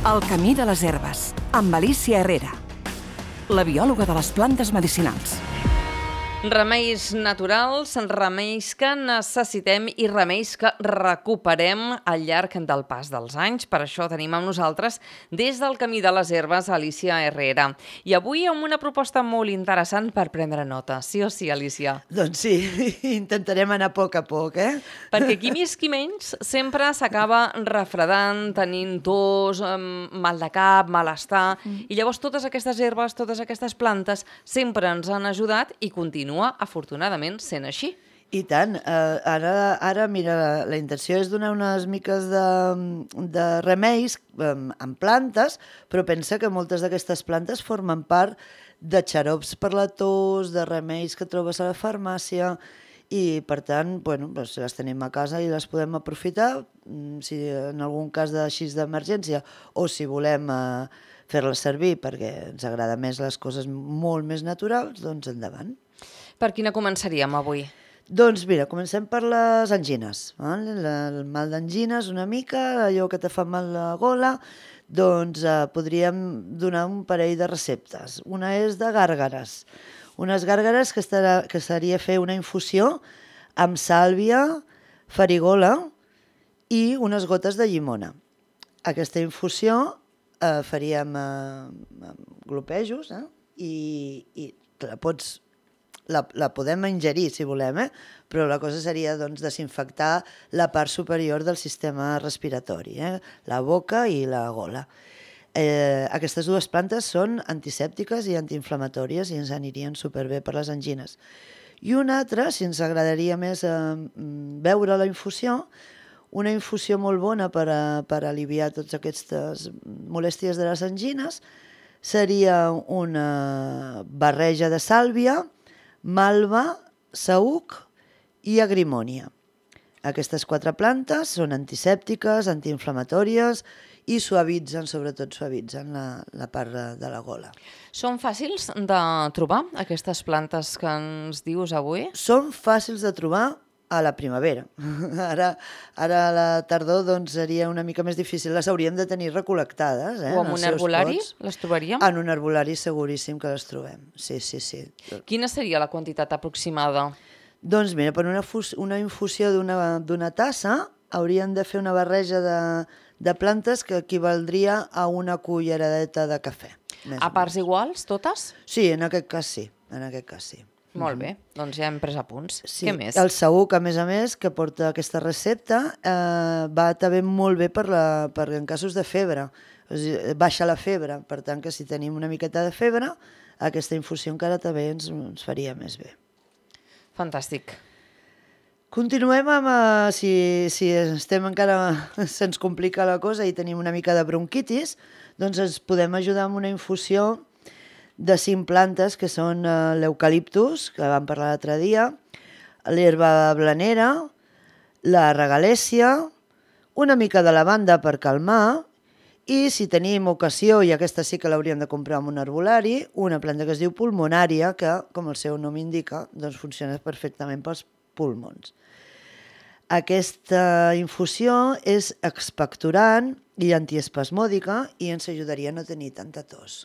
El camí de les herbes, amb Alicia Herrera, la biòloga de les plantes medicinals. Remeis naturals, remeis que necessitem i remeis que recuperem al llarg del pas dels anys. Per això tenim amb nosaltres, des del Camí de les Herbes, Alicia Herrera. I avui amb una proposta molt interessant per prendre nota. Sí o sí, Alicia? Doncs sí, intentarem anar a poc, Perquè qui més qui menys sempre s'acaba refredant, tenint tos, mal de cap, malestar. I llavors totes aquestes herbes, totes aquestes plantes sempre ens han ajudat i continua afortunadament sent així. I tant. Ara, mira, la intenció és donar unes miques de remeis amb plantes, però pensa que moltes d'aquestes plantes formen part de xarops per la tos, de remeis que trobes a la farmàcia, i per tant, doncs les tenim a casa i les podem aprofitar, si en algun cas d'emergència o si volem fer-les servir perquè ens agrada més les coses molt més naturals, doncs endavant. Per quina començaríem avui? Doncs mira, comencem per les angines. El mal d'angines una mica, allò que te fa mal la gola, doncs podríem donar un parell de receptes. Una és de gàrgares. Unes gàrgares que seria fer una infusió amb sàlvia, farigola i unes gotes de llimona. Aquesta infusió faríem glopejos i la podem ingerir si volem, però la cosa seria doncs, desinfectar la part superior del sistema respiratori, la boca i la gola. Aquestes dues plantes són antisèptiques i antiinflamatòries i ens anirien superbé per les angines. I una altra, si ens agradaria més beure la infusió, una infusió molt bona per aliviar totes aquestes molèsties de les angines, seria una barreja de sàlvia, malva, saüc i agrimònia. Aquestes 4 plantes són antisèptiques, antiinflamatòries i sobretot suavitzen la part de la gola. Són fàcils de trobar, aquestes plantes que ens dius avui? Són fàcils de trobar a la primavera. Ara a la tardor doncs, seria una mica més difícil. Les hauríem de tenir recol·lectades. O en un herbolari les trobaríem? En un herbolari seguríssim que les trobem. Sí. Quina seria la quantitat aproximada? Doncs mira, per una infusió d'una tassa hauríem de fer una barreja de plantes que equivaldria a una culleradeta de cafè. A parts iguals, totes? Sí, en aquest cas sí. Molt bé, doncs ja hem pres apunts. Sí. Què més? El saüc, a més, que porta aquesta recepta, va també molt bé per en casos de febre. O sigui, baixa la febre, per tant que si tenim una miqueta de febre, aquesta infusió encara també ens faria més bé. Fantàstic. Continuem amb, si estem encara, se'ns complica la cosa i tenim una mica de bronquitis, doncs ens podem ajudar amb una infusió de 5 plantes que són l'eucaliptus, que vam parlar l'altre dia, l'herba blanera, la regalèssia, una mica de lavanda per calmar i, si tenim ocasió, i aquesta sí que l'hauríem de comprar en un herbolari, una planta que es diu pulmonària, que, com el seu nom indica, doncs funciona perfectament pels pulmons. Aquesta infusió és expectorant i antiespasmòdica i ens ajudaria a no tenir tanta tos.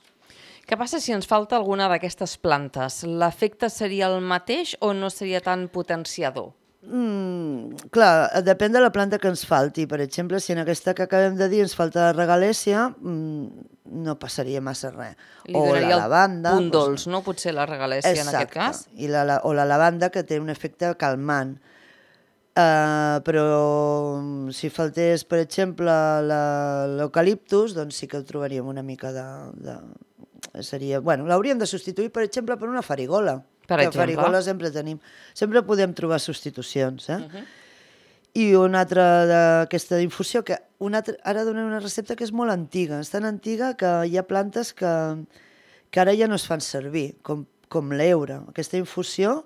Què passa si ens falta alguna d'aquestes plantes? L'efecte seria el mateix o no seria tan potenciador? Clar, depèn de la planta que ens falti. Per exemple, si en aquesta que acabem de dir ens falta la regalèssia, no passaria massa res. Li donaria el punt dolç, no? Potser la regalèssia en aquest cas. Exacte, o la lavanda, que té un efecte calmant. Però si faltés, per exemple, l'eucaliptus, doncs sí que ho trobaríem una mica l'hauríem de substituir, per exemple, per una farigola. Farigola sempre tenim. Sempre podem trobar substitucions. I una altra d'aquesta infusió, que ara donem una recepta que és molt antiga. És tan antiga que hi ha plantes que ara ja no es fan servir, com l'heura. Aquesta infusió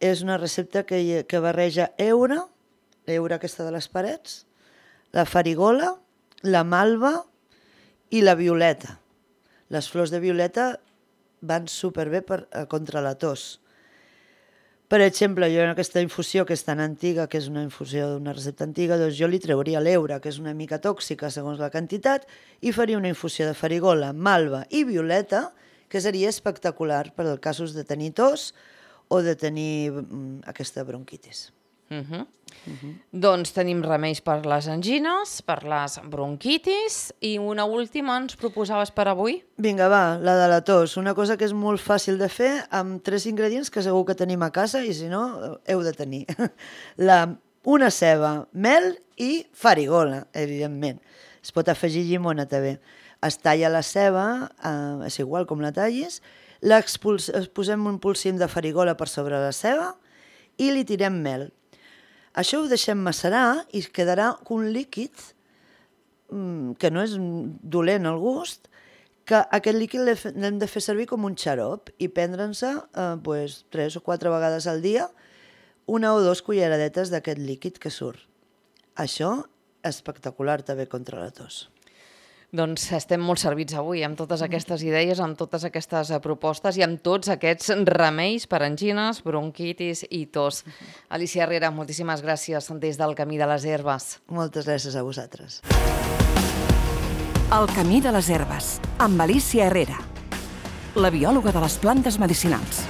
és una recepta que barreja l'heura aquesta de les parets, la farigola, la malva i la violeta. Les flors de violeta van superbé contra la tos. Per exemple, jo en aquesta infusió que és tan antiga, que és una infusió d'una recepta antiga, doncs jo li trauria l'eura, que és una mica tòxica segons la quantitat, i faria una infusió de farigola, malva i violeta, que seria espectacular per als casos de tenir tos o de tenir aquesta bronquitis. Doncs tenim remeis per les angines, per les bronquitis i una última ens proposaves per avui? Vinga, va, la de la tos. Una cosa que és molt fàcil de fer amb 3 ingredients que segur que tenim a casa i si no, heu de tenir. Una ceba, mel i farigola, evidentment. Es pot afegir llimona també. Es talla la ceba, és igual com la tallis, posem un polsim de farigola per sobre la ceba i li tirem mel. Això ho deixem macerar i quedarà un líquid que no és dolent al gust, que aquest líquid l'hem de fer servir com un xarop i prendre'n-se 3 o 4 vegades al dia, 1 o 2 culleradetes d'aquest líquid que surt. Això és espectacular també contra la tos. Doncs estem molt servits avui amb totes aquestes idees, amb totes aquestes propostes i amb tots aquests remeis per angines, bronquitis i tos. Alicia Herrera, moltíssimes gràcies des del Camí de les Herbes. Moltes gràcies a vosaltres. El Camí de les Herbes, amb Alicia Herrera, la biòloga de les plantes medicinals.